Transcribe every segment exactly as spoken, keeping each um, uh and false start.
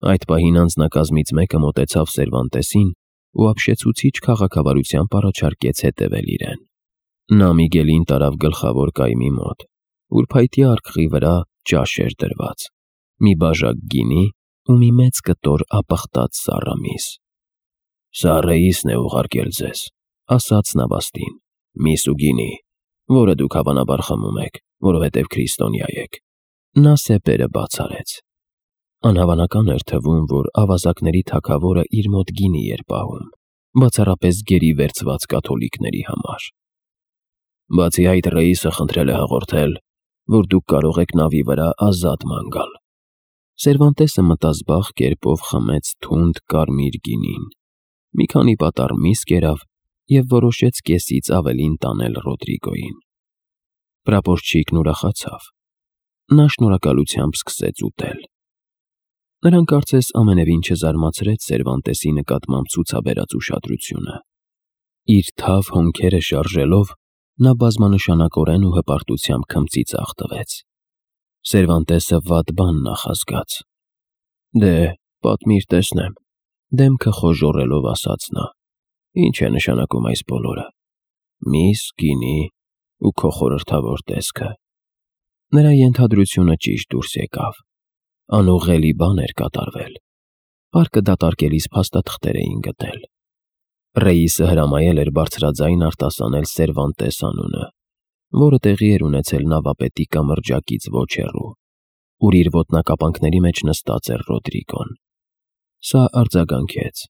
Այդ պահին անձնակազմից մեկը մոտեցավ Սերվանտեսին ու ապշեցուցիչ քաղաքավարությամբ առաջարկեց հետևել իրեն։ Նա Միգելին տարավ գլխավոր կայմի մոտ, ուր փայտի արկղի վրա ճաշ էր դրված, մի բաժակ գինի ու մի մեծ կտոր ապխտած սառամիս։ «Սա Ռեիսն է ուղարկել ձեզ», ասաց նավաստին, «միս ու գինի, որը դուք հավանաբար խմում եք, որովհետև քրիստոնյա եք»։ Նա սեպերը բաց արեց։ Անհավանական էր թվում, որ ավազակների թագավորը իր մոտ գինի էր պահում, բացառապես գերի վերցված կաթոլիկների համար։ «Բացի այդ, Ռեիսը խնդրել է հաղորդել, որ դուք կարող եք նավի վրա ազատ ման գալ»։ Սերվանտեսը մտազբաղ կերպով խմեց թունդ կարմիր գինին, մի քանի պատառ միս կերավ և որոշեց կեսից ավելին տանել Ռոդրիգոյին։ Պրապորչիկն ուրախացավ։ Նա շնորհակալությամբ սկսեց ուտել։ Նրան կարծես ամենևին չզարմացրեց Սերվանտեսի նկատմամբ ցուցաբերած ուշադրությունը։ Իր թավ հոնքերը շարժելով, նա բազմանշանակորեն ու հպարտությամբ քմծիծաղ տվեց։ Սերվանտեսը վատ բան նախազգաց։ «Դե, պատմիր, տեսնեմ», դեմքը խոժոռելով ասաց նա։ «Ինչ է նշանակում այս բոլորը։ Միս, գինի ու քո խորհրդավոր տեսքը»։ Նրա ենթադրությունը ճիշտ դուրս եկավ։ Անուղղելի բան էր կատարվել։ Պարկը դատարկելիս փաստաթղթեր էին գտել։ Ռեիսը հրամայել էր բարձրաձայն արտասանել Սերվանտես անունը, որը տեղի էր ունեցել նավապետի կամրջակից ոչ հեռու, ուր իր ոտնակապանքների մեջ նստած էր Ռոդրիգոն։ Սա արձագանքեց.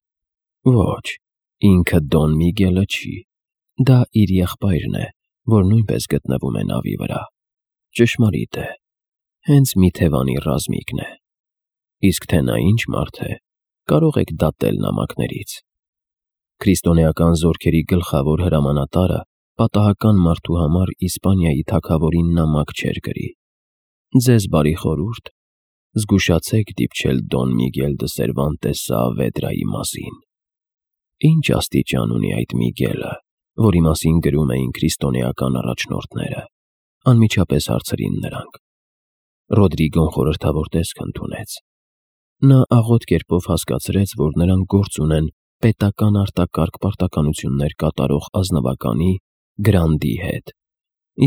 «Ոչ, ինքը Դոն Միգելը չի, դա իր եղբայրն է, որ նույնպես գտնվում է նավի վրա։ Ճշմարիտ է, հենց մի թևանի ռազմիկն է։ Իսկ թե նա ինչ մարդ է, կարող եք դատել նամակներից»։ Քրիստոնեական զորքերի գլխավոր հրամանատարը պատահական մարդու համար Իսպանիայի թագավորին նամակ չէր գրի։ Ձեզ բարի խորհուրդ, զգուշացեք դիպչել Դոն Միգել դը Սերվանտես Սaavedra-ի մասին։ Ինչ աստիճան ունի այդ Միգելը, որի մասին գրում էին քրիստոնեական առաջնորդները, անմիջապես հարցրին նրանք։ Ռոդրիգոն խորհրդավոր տեսք ընդունեց։ Նա աղոտ կերպով հասկացրեց, որ նրանք գործ ունեն պետական արտակարգ պարտականություններ կատարող ազնվականի Գրանդի հետ,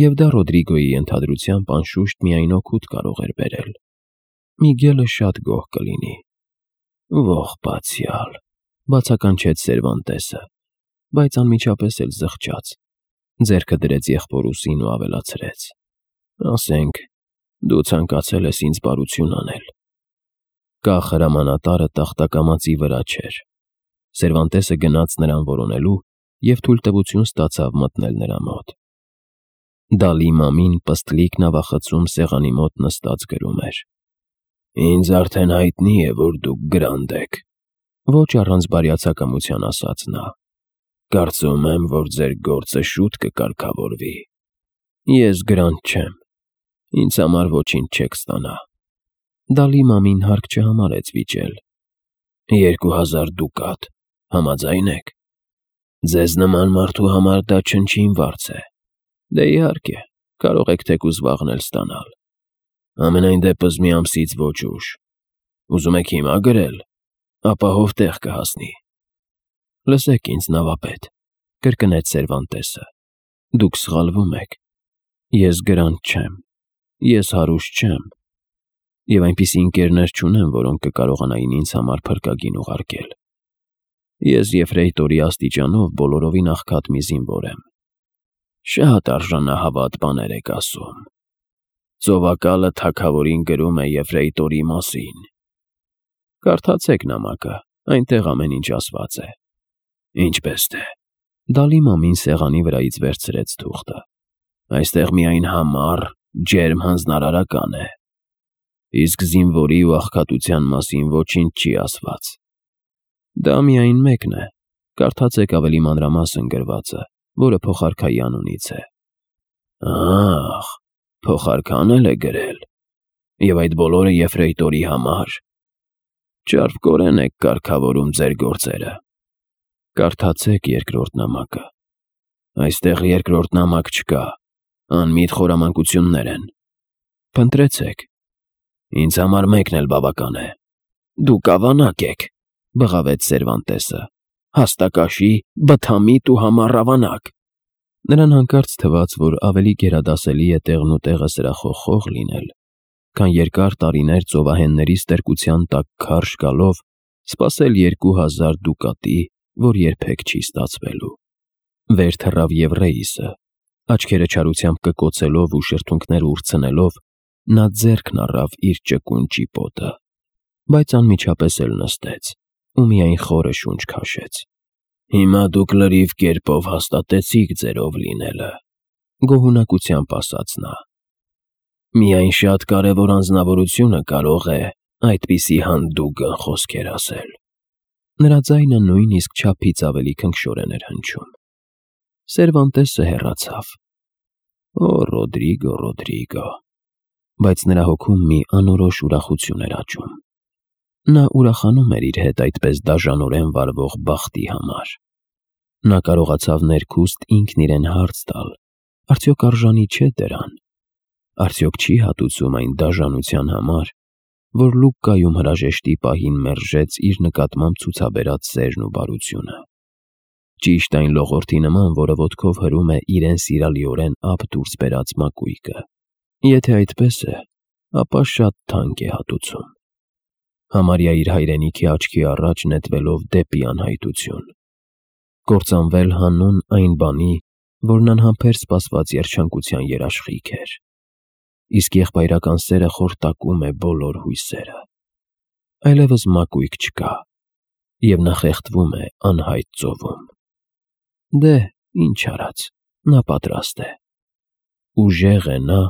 և դա Ռոդրիգոյի ենթադրությամբ անշուշտ միայն օգուտ կարող էր բերել։ Միգելը շատ գոհ կլինի։ Ողբացյալ, բացականչեց Սերվանտեսը, բայց անմիջապես էլ զղջաց, ձեռքը դրեց եղբոր ուսին ու ավելացրեց. «Ասենք, դու ցանկացել ես ինձ բարություն անել»։ Կախ հրամանատարը տախտակամածի վրա չէր։ Սերվանտեսը գնաց նրան որոնելու և թույլտվություն ստացավ մտնել նրա մոտ։ Դալի մամին պստլիկ նավախցում սեղանի մոտ նստած գրում էր. «Ինձ արդեն հայտնի է, որ դուք Գրանդ եք», ոչ առանց բարյացակամության ասաց նա։ «Կարծում եմ, որ ձեր գործը շուտ կկարգավորվի։ Ես Գրանդ չեմ, ինձ համար ոչինչ չեք ստանա»։ Դալի մամին հարկ չհամարեց վիճել։ «Երկու հազար դուկատ, համաձայն եք։ Ձեզ նման մարդու համար դա չնչին վարձ է։ Դե իհարկե, կարող եք թեկուզ վաղն էլ ստանալ։ Համենայն դեպս մի ամսից ոչ ուշ։ Ուզում եք հիմա գրել, ապահով տեղ կհասնի»։ «Լսեք ինձ, նավապետ», կրկնեց Սերվանտեսը, «դուք սխալվում եք։ Ես Գրանդ չեմ, ես հարուստ չեմ, և այնպիսի ընկերներ չունեմ, որոնք կկարողանային ինձ համար փրկագին ուղարկել։ Ես եֆրեյտորի աստիճանով բոլորովին աղքատ մի զինվոր եմ։ Շատ արժանահավատ բաներ եք ասում։ Ծովակալը թագավորին գրում է եֆրեյտորի մասին։ Կարդացեք նամակը, այնտեղ ամեն ինչ ասված է»։ «Ինչպես թե»։ Դալի մամին սեղանի վրայից վերցրեց թուղթը։ «Այստեղ միայն համառ, ջերմ հանձնարարական է։ Իսկ զինվորի ու աղքատության մասին ոչինչ չի ասված։ Դա միայն մեկն է, կարդացեք ավելի մանրամասն գրվածը, որը փոխարքայի անունից է»։ «Ահ, փոխարքան էլ է գրել։ Եվ այդ բոլորը եֆրեյտորի համար։ Ճարպկորեն եք կարգավորում ձեր գործերը»։ «Կարդացեք երկրորդ նամակը։ Այստեղ երկրորդ նամակ չկա, անմիտ խորամանկություններ են։ Փնտրեցեք։ Ինձ համար մեկն էլ բավական է»։ Դուք ավանակ եք, բղավեց Սերվանտեսը, հաստակաշի, բթամիտ ու համառավանակ։ Նրան հանկարծ թվաց, որ ավելի գերադասելի է տեղն ու տեղը սրախոխող լինել, քան երկար տարիներ ծովահենների ստրկության տակ քարշ գալով սպասել երկու հազար դուկատի, որ երբեք չի ստացվելու։ Վեր թռավ Եվրեիսը, աչքերը չարությամբ կկոցելով ու շրթունքները ուրցնելով, նա ձեռքն առավ իր ճկուն ճիպոտը, բայց անմիջապես էլ նստեց ու միայն խորը շունչ քաշեց։ Հիմա դուք լրիվ կերպով հաստատեցիք ձեր ով լինելը, գոհունակությամբ ասաց նա։ Միայն շատ կարևոր անձնավորությունը կարող է այդպիսի հանդուգն խոսքեր ասել։ Նրա ձայնը նույնիսկ չափից ավելի քնքշորեն էր հնչում։ Սերվանտեսը հեռացավ։ Օ, Ռոդրիգո, Ռոդրիգո, բայց նրա հոգում մի անորոշ ուրախություն էր աճում։ Նա ուրախանում էր իր հետ այդպես դաժանորեն վարվող բախտի համար։ Նա կարողացավ ներքուստ ինքն իրեն հարց տալ. արդյոք արժանի չէ դրան։ Արդյոք չի հատուցում այն դաժանության համար, որ Լուկկայում հրաժեշտի պահին մերժեց իր նկատմամբ ցուցաբերած սերն ու բարությունը։ Ճիշտ այն լողորդի նման, որը ոտքով հրում է իրեն սիրալիորեն ափ դուրս բերած մակույկը։ Եթե այդպես է, ապա շատ թանկ է հատուցում։ Համարյա իր հայրենիքի աչքի առաջ նետվելով դեպի անհայտություն։ Կործանվել հանուն այն բանի, որն անհամբեր սպասված երջանկության երաշխիք էր։ Իսկ եղբայրական սերը խորտակում է բոլոր հույսերը։ Այլևս մակույկ չկա, և նա խեղդվում է անհայտ ծովում։ Դե, ինչ արած, նա պատրաստ է։ Ուժեղ է նա,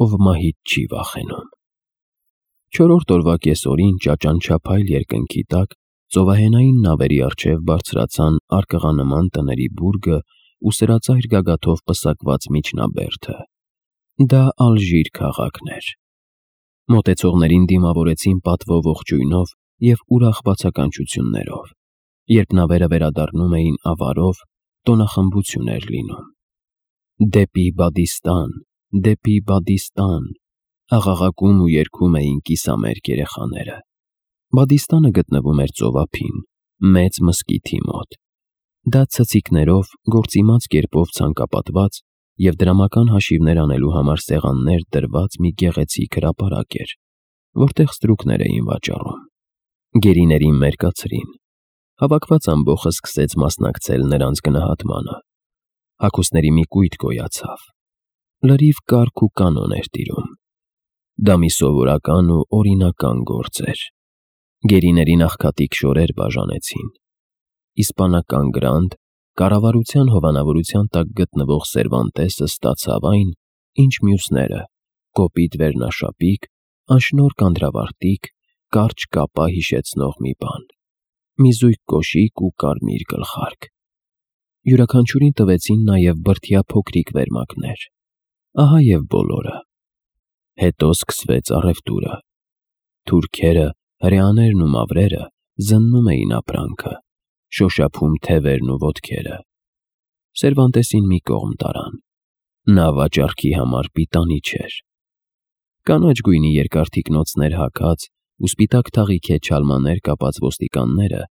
ով մահից չի վախենում։ Չորրորդ օրվա կեսօրին ճաճանչափայլ երկնքի տակ ծովահենային նավերի առջև բարձրացան արկղանման տների բուրգը ու սրածայր գագաթով պսակված միջնաբերդը։ Դա Ալժիր քաղաքն էր։ Մոտեցողներին դիմավորեցին պատվով ողջույնով և ուրախ բացականչություններով։ Երբ նավերը վերադառնում էին ավարով, տոնախմբություն էր լինում։ Դեպի Բադիստան, դեպի Բադիստան, աղաղակում ու երգում էին կիսամերկ երեխաները։ Բադիստանը գտնվում էր ծովափին, մեծ մզկիթի մոտ։ Դա ցցիկներով, գործիմաց կերպով ցանկապատված և դրամական հաշիվներ անելու համար սեղաններ դրված մի գեղեցիկ հրապարակ էր, որտեղ ստրուկներ էին վաճառում։ Գերիներին մերկացրին։ Հավաքված ամբոխը սկսեց մասնակցել նրանց գնահատմանը։ Հագուստների մի կույտ գոյացավ։ Լրիվ կարգ ու կանոն էր տիրում։ Դա մի սովորական ու օրինական գործ էր։ Գերիներին աղքատիկ շորեր բաժանեցին։ Իսպանական գրանդ, կառավարության հովանավորության տակ գտնվող Սերվանտեսը ստացավ այն, ինչ մյուսները՝ կոպիտ վերնաշապիկ, անշնորհ կանդրավարտիք, կարճ կապա հիշեցնող մի բան, մի զույգ կոշիկ ու կարմիր գլխարկ։ Յուրաքանչյուրին տվեցին նաև բրդյա փոքրիկ վերմակներ։ Ահա և բոլորը։ Հետո սկսվեց առևտուրը։ Թուրքերը, հրեաներն ու մավրերը զննում էին ապրանքը, շոշափում թևերն ու ոտքերը։ Սերվանտեսին մի կողմ տարան։ Նա վաճառքի համար պիտանի չէր։ Կանաչ գույնի երկար թիկնոցներ հագած ու սպիտակ թաղիքե չալմաներ կապած ոստիկանները,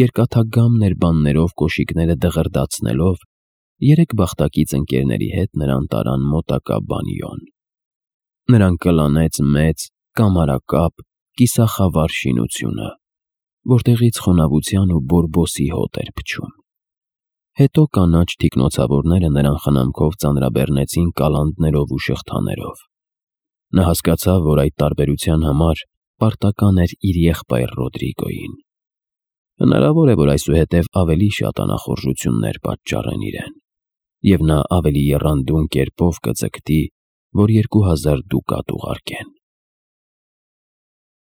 երկաթագամ ներբաններով կոշիկները դղրդացնելով, երեք բախտակից ընկերների հետ նրան տարան մոտակա բանիոն։ Նրան կլանեց մեծ, կամարակապ, կիսախավար շինությունը, որտեղից խոնավության ու բորբոսի հոտ էր փչում։ Հետո կանաչ թիկնոցավորները նրան խնամքով ծանրաբեռնեցին կալանդներով ու շղթաներով։ Նա հասկացավ, որ այդ տարբերության համար պարտական էր իր եղբայր Ռոդրիգոյին։ Հնարավոր է, որ այսուհետև ավելի շատ անախորժություններ պատճառեն իրեն, և նա ավելի եռանդուն կերպով կձգտի, որ երկու հազար դուկատ ուղարկեն։